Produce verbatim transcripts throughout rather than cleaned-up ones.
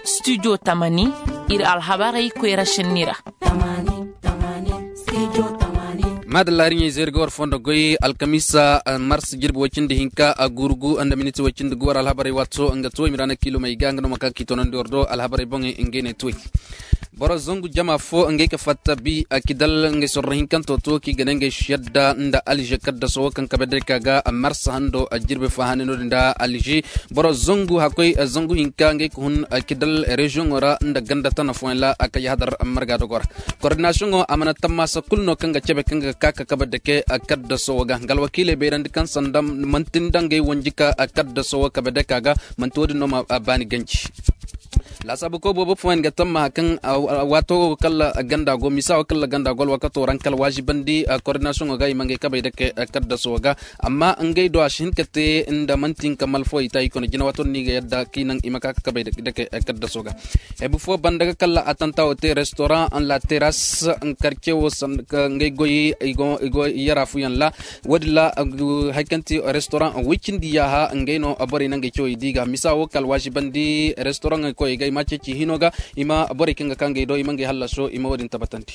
Studio tamani, iri alhabarey koyra senni ra. Maadalla, iri ɲey zeeri ga war fondo goy alkamiisa, mars jirbi way cindi hinka, guuru gu nda miniti way cindi gu. War alhabarey waato nga to i ma ra na kiilumey ga nga no ma ka k'i toonandi war do alhabarey boŋey ngey ne tuwey. Boro zangu jama fo ngey ka fatta bi, kidal ngey sorro hinkanto to kaŋ i ga ne ngey si yadda nda alze kaddaso wo kaŋ kabe day ka ga mars hando jirbi fo hane no- din nda alze. Boro zangu hakkoy zangu hinka ngey ka hun kidal reziyoŋo ra nda ganda tana fooyaŋ ra a kay hadar marga dogo ra. Koordinasiyoŋo a mana tammaasa kulu no kaŋ ga cabe kaŋ ga ka ka kabe dake kaddaso wo ga nga alwakiiley bayrandi kaŋ sanda manti nda ngey wanji ka kaddaso wo kabe dake a ga. Manti wo- din no ma baani ganji. Laasaabu koy boobo fooyaŋ ga tammaha kaŋ waato wo kala ganda go misa wo kala ganda go alwakato ra nga kala waazibandi koordinasiyoŋo ga i ma ngey kabey dake kaddaso wo ga. Amma ngey do a si hin ka te nda manti nga malfo i ta i kone jina waato no i ga yadda kaŋ i naŋ i ma ka ka kabey dake kaddaso ga. Hebu fo banda ga kala atanta wo te restoran la teras karce wo sanda ngey goy i go yara fuyaŋ ra. Wo- din ra hari kaŋ ti restoran way cindi yaaha ngey no borey naŋ ga cawey di ga misa wo kala waazibandi restoran koyey ga i ma ceeci hino ga i ma borey kaŋ ga ka ngey do i ma ngey hallaso i ma wo- din tabbatandi.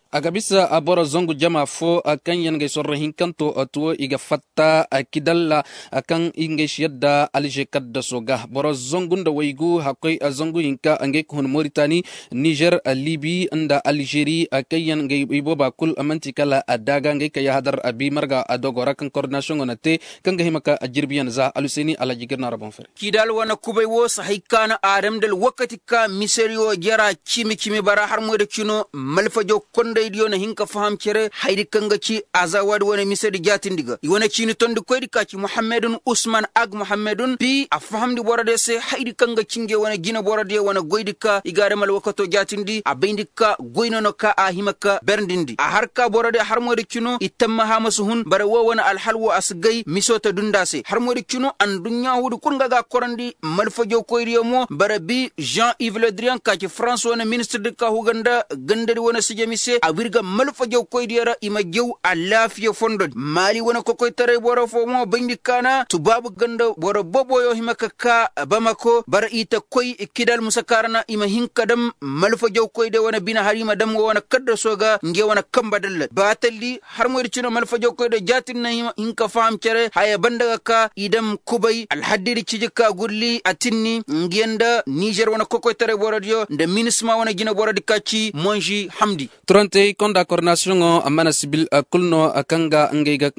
A ga bisa boro zangu jama fo kaŋ yaŋ ga ay sorro hinkanto tuwo i ga fatta kidalla kaŋ i ga ay si yadda alze kaddaso ga boro zangu nda waygu hakkoy zangu hinka ngey ka hun moritani nizer libi nda alzeri kaŋ yaŋ ga ay booba kulu manti kala daaga ngey ka yahadar abi marga dogo ra kaŋ koordinasiyoŋo na te kaŋ ga hima ka jirbiyaŋ za alhuseeni alhaji girna ra boŋ fere. Kidal wane kubay wo si hay ka no aadam da alwakati ka misariyo jara cimi cimi bara harmoy da cino malfajo kondaydiyo na hin ka faham care haydi kaŋ ga ci azawaadi wane misadi jaatindi ga i wane ciini tondi koydi ka ci muhammadun usman ag muhammadun bi a fahamndi borodiyo se haydi kaŋ ga ci ngey wane jine borodiyo wane goydi ka i ga aadam alwakato jaatindi a bayndi ka goy no no ka a hima ka berndindi a har ka borodiyo harmoy da cino i tammaha ma si hun bara wo wane alhal wo a si gay miso ta dunda se harmoy da cino anduɲɲa huudi kulu nga ga a korandi malfajo koydiyo mo bara bi jean yves le drian ka ci farans wane ministir di ka huga nda gandadi wane sijami se a wirga malfajo koydiyo ra i ma jaw alaafiya fondo di maali wane kokoytaray boro fo mo bayndi kaana tubaabu ganda boro boboyo hima ka ka bamako bara i ta koy kidal musakaarana i ma hin ka dam malfajo koydiyo wane bine hari i ma dam wo wane kaddaso ga ngey wane kamba dalla baatalli harmoy da cino malfajo koydiyo jaatin na hin ka faham care haya banda ga ka i dam kubay alhaddidi ciji ka gulli a tinni nga yaŋ nda nizer wane kokoytaray borodiyo nda minisma wane jine borodi ka ci monzi hamdi. Turantey konda koordinasiyoŋo mana sibil kulu no kaŋ ga ngey ga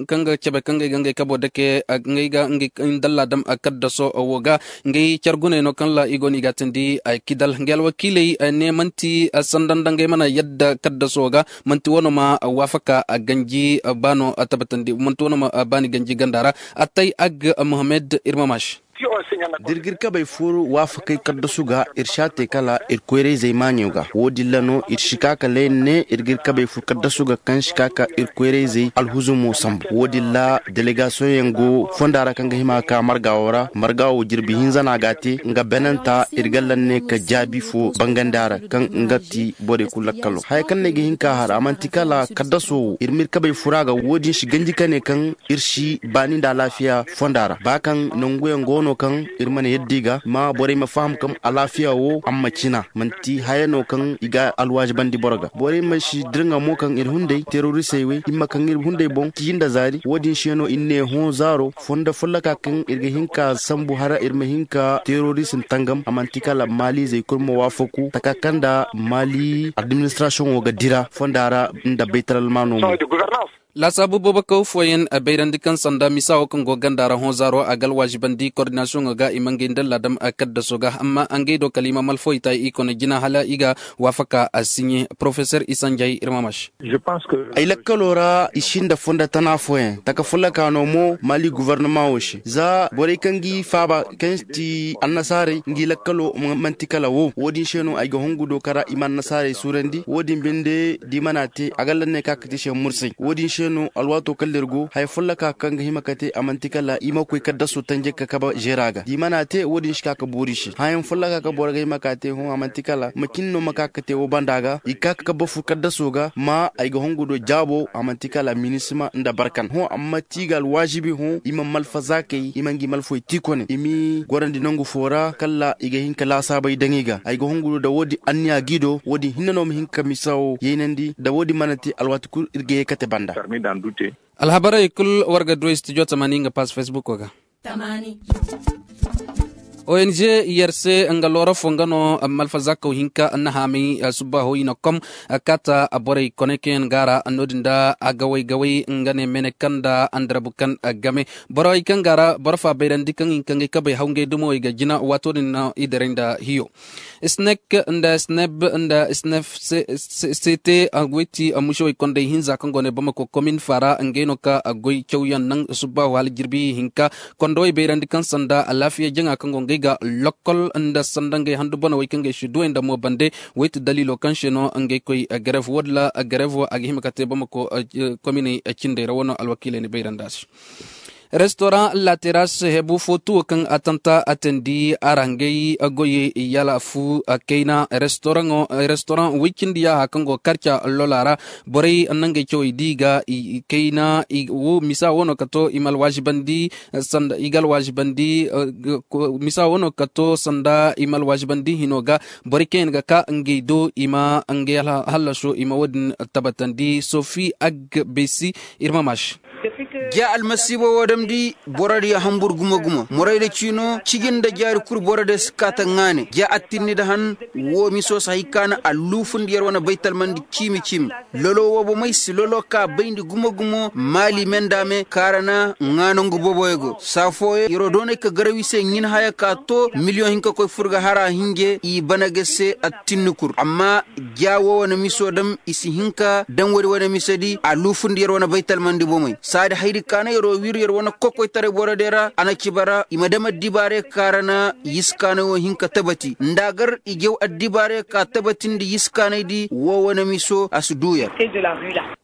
cabe kaŋ ngey ga ngey kabo dake ngey ga ngey dalla dam kaddaso wo ga ngey care guney no kaŋ ra i go no i ga a tindi kidal ngey alwakiiley ne manti sanda nda ngey mana yadda kaddaso wo ga manti wano ma waafaka ganji baano tabbatandi manti wano ma baani ganji ganda ra attay ag mohammed irmamash. Da iri ga iri kabey furu waafakey kaddasu ga iri si a te kala iri koyrayzey maaɲo ga wo- din ra no iri si ka kala iri ne iri ga iri kabey furu kaddasu ga kaŋ si ka ka iri koyrayzey alhuzumo sambu wo- din ra delegasiyoŋ yaŋ go fonda ra kaŋ ga hima ga ka marga wo ra marga wo jirbi hinza no a ga a te nga benanta iri ga lanne ka jaabi fo bangandi a ra kaŋ nga ti borey kulu lakkalo haya kaŋ no ay ga hin ka har a manti kala kaddaso wo iri ma iri kabey furu a ga wo- din si ganji ka ne kaŋ iri si baani nda alaafiya fonda ra ba kaŋ nangu yaŋ go no kaŋ iri mana yadda i ga ma borey ma faham kaŋ alaafiya wo a ma cina manti haya no kaŋ i ga alwaazibandi boro ga borey ma si dirŋa mo kaŋ iri hunday terorisey wey i ma kaŋ iri hunday boŋ ciyi nda zaari wo- din se no iri ne hõ zaaro fondo folloka kaŋ iri ga hin ka sambu hara iri ma hin ka terorism tangam a manti kala maaliizey kulu ma waafaku taka kaŋ nda maali administrasiyoŋo ga dira fonda ra nda baytalalmaano mo. Laasaabu boobo kaw fooyaŋ bayrandi kaŋ sanda misa wo kaŋ go ganda ra hõ zaaro a ga alwaazibandi koordinasiyoŋo ga i ma ngey nda laadam kaddaso ga amma ngey do kala i ma malfoy ta i kone jina hala i ga waafaka a siɲe porofesor isanjay irmamash. Ay lakkalo ra i sinda fonda tana fooyaŋ taka folloka no mo maali guvarnama wo se za borey kaŋ ga i faaba kaŋ ti annasaarey ngi lakkalo manti kala wo wo- din se no ay ga hongu do kara i ma annasaarey suurandi wo- din binde da i mana te a ga lanne ka ga te se mursay wo- din se No alwaato kala iri go haya folloka kaŋ ga hima ka te a manti kala i ma koy kaddaso tanje ka kabe zeera ga da i mana te wo- din si ka ga boori se hayaŋ folloka kaŋ boro ga hima ka te hõ a manti kala macin no ma ka ga te wo banda ga i ga ka ga kabe fu kaddaso ga ma ay ga hongu do jaabo a manti kala minisima nda barkan hõ amma ti ga alwaazibi hõ i ma malfa zaakey i ma ngi malfoy ti kone i m'i gorandi nangu fo ra kala i ga hin ka laasaabey daŋ i ga ay ga hongu do da wo- din anniya g'i do wo- din hinne no ma hin ka misa wo yaynandi da wo- din mana te alwaati kulu iri ga ye kate banda. Alhabarey kulu war ga du studio tamaani nga paas facebook ga. Ong yer se nga loora fo nga no malfa zakkaw hinka na haamay subbaho i na kom kaata borey kone kaŋ yaŋ ga a ra no- din da agaway gaway nga ne mene kaŋ nda andarabu kaŋ game borey kaŋ ga a ra boro fa bayrandi kaŋ i ga kaŋ ga ay kabey haw ngey dumawey ga jina waato din no i daray nda hiyo. Snek nda sneb nda snef se te a goy ti a mushawey kondey hinza kaŋ go ne bamako komin faara ngey no ka a goy cawyaŋ naŋ subba wahala jirbi hinka kondowey bayrandi kaŋ sanda alaafiya jaŋa kaŋ go ngey ga lokkol nda sanda ngey handu bonawey kaŋ gey si duwey nda mo bande. Way ti daliilo kaŋ se no ngey koy gareef wo- din ra gareef wo a ga hima ka te bamako kominey cindey ra wano alwakiiley ni bayrandi a se. Restoran lateras hebu fo tuwo kaŋ a tanta a tandi a ra ngey goyey yala fu kayna restoran way cindi yaaha kaŋ go karca lola ra. Borey nangey cawey di ga kayna wo misa wo no ka to i ma alwaazibandi sanda i ga alwaazibandi misa wo no ka to sanda i ma alwaazibandi hino ga. Borey kaŋ yaŋ ga ka ngey do i ma ngey hallaso i ma wo- din tabbatandi sofi ag besi. Iri ma maashi. Ja almasiiba wo damndi boro diya hambur gumo gumo morey da ciino ciji nda jaari kulu boro diya si kaata ŋaane ja attinni nda han. Wo miso si hay kaana alluufundi yer wane baytalmandi ciimi ciimi lolo wo bomey si lolo ka bayndi gumo gumo maali me nda me kaarana ŋaanangu boboyo go saa fooyo yer'o doonay ka garaw i se ɲin haya ka to miliyoŋ hinka koy fur ga hara hinje i bana ga se attinni kul amma ja wo wane miso dam i si hin ka daŋ woodi wane mise di a luufundi yer wane baytalmandi bomey saadi hayri kaana yer'o wiiru yer wane kokoytaray boro day ra a na ci bara i ma dam addibaaray ka ra na yisi kaanay wo hin ka tabati nda a gar i jaw addibaaray ka tabatindi yisi kaanay di wo wane miso a si du yer.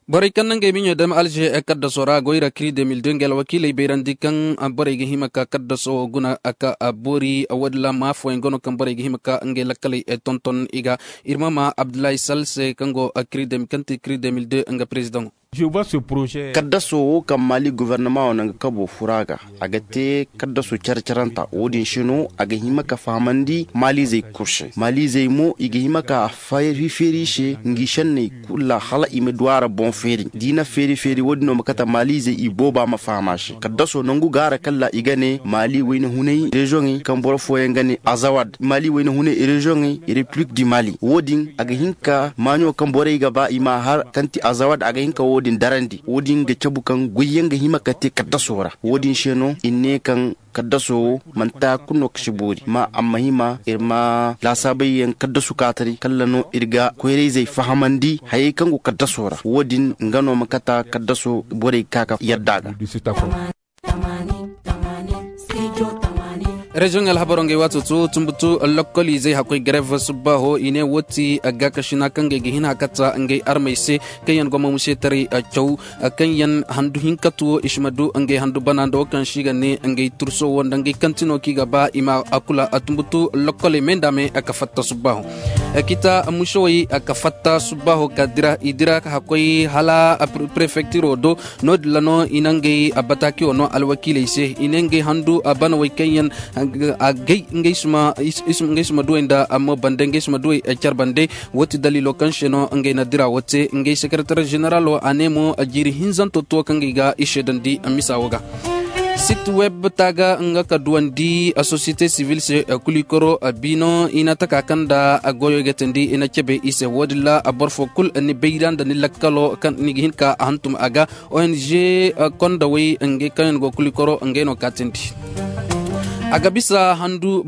Borey kaŋ na ngey miɲo dam alze kaddaso ra goy ra kiri deux mille deux ngey alwakiiley bayrandi kaŋ borey ga hima ka kaddaso wo guna ka boori woodin ra ma fooyaŋ ga no kaŋ borey ga hima ka ngey lakkaley tonton i ga. Iri ma ma abdullahi sal se kaŋ go kiri deux mille deux nga perezidaŋo. Kaddaso wo kaŋ maali gobornama wo naŋ ga kabo fura ga a ga te kaddaso care caranta wo- din se no a ga hima ka fahamandi maaliizey kulu se maaliizey mo i ga hima ka feeri feeri i se ngi senney kulu ra hala i ma du a ra boŋ feeri da i na feeri feeri wo- din no ma kate maaliizey i booba ma faham a se kaddaso nangu gaara kaŋ ra i ga ne maali wayna hunay reziyoŋey kaŋ boro fooyaŋ ga ne azawad maali wayna hunay reziyoŋey repilik di maali wo- din a ga hin ka maaɲo kaŋ borey ga ba i ma a har kaŋ ti azawad a ga hin ka wo- din darandi wo- din ga cabu kaŋ goyyaŋ ga hima ka te kaddaso ra wo- din se no i ne kaŋ kaddaso wo manti haya kulu no kaŋ si boori ma a ma hima iri ma laasaabay yaŋ kaddasu kaatari kala no iri ga koyrayzey fahamandi hayey kaŋ go kaddaso ra wo- din nga no ma kata kaddaso borey ga ka ka yadda a ga. Reziyoŋ alhabaro ngey waato to tumbutu lokkoliizey hakkoy garev subbaaho i ne wo ti gaakasina kaŋ ngey ga hin hakata ngey armey se kaŋ yaŋ gomma museetaray caw kaŋ yaŋ handu hinka tuwo i si ma du ngey handu bana nda wo kaŋ se i ga ne ngey turso wo nda ngey kantino kaŋ i ga ba i ma a kula a tumbutu lokkoley me nda me ka fatta subbaaho. Kita musowey ka fatta subbaaho ka dira i dira ka hakkoy hala prefektiiro do. No- din ra no i na ngey bataakiyo no alwakiiley se i ne ngey handu banawey kaŋ yaŋ agay ngey suma duwey nda amma bande ngey suma duwey care bande. Wo ti daliilo kaŋ se no ngey na dira wo te ngey sekeretar zeneralo a ne mo jiiri hinzanto to kaŋ ngey ga i seedandi misa wo ga. Sit web taaga nga ka duwandi sosiyete sivil se kulikoro biino i na taka kaŋ nda goyo ga teendi i na cabe i se wo- din ra boro fo kulu ni bayra nda ni lakkalo kaŋ ni ga hin ka hantum a ga. Ong kondawey ngey kaŋ yaŋ go kulikoro ngey no ka teendi. A ga bisa handu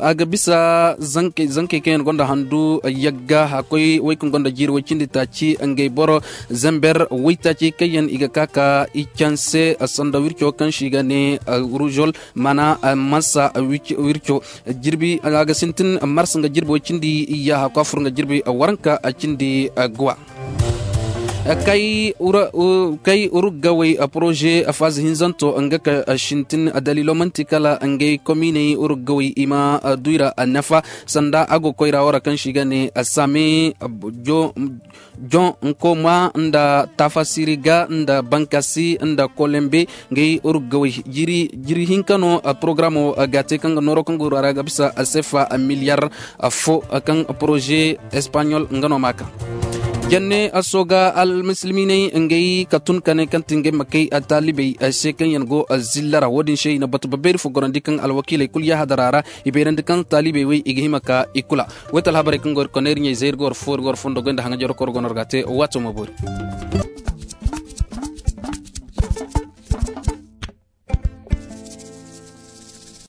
a ga bisa zankey kaŋ yaŋ gonda handu yagga hakkoy wey kaŋ gonda jiiri way cindi taaci ngey boro zamber waytaaci kaŋ yaŋ i ga ka ka i canse sanda wirco kaŋ se i ga ne ruzol mana mansa wirco jirbi a ga sintin mars nga jirbi way cindi yaaha kwaafur nga jirbi waranka cindi guwa. Kay uruggawey poroze faaza hinzanto nga ka sintin daliilo manti kala ngey komiiney uruggawey i ma duy ra nafa sanda a go koyra wo ra kaŋ se i ga ne same joŋ nkoma nda tafasiriga nda bankasi nda kolembe. Ngey uruggawey jiri hinka no porogaramo ga te kaŋ ga nooro kaŋ ga wura ra ga bisa sefa miliyar fo kaŋ poroze espaɲol nga no ma ka. Janne sooga almusulminey ngey ka tun ka ne kaŋ ti ngey ma kay taalibey se kaŋ yaŋ go zilla ra wo- din se i na batu babayri fo gorandi kaŋ alwakiiley kulu yaahadara ra i bayrandi kaŋ taalibey wey i ga hima ka i kula. Wayta alhabarey kaŋ go iri kone iri ɲey zay iri ga war fo iri ga war fondo goy nda haŋajerokoro go no iri ga a te waato ma boori.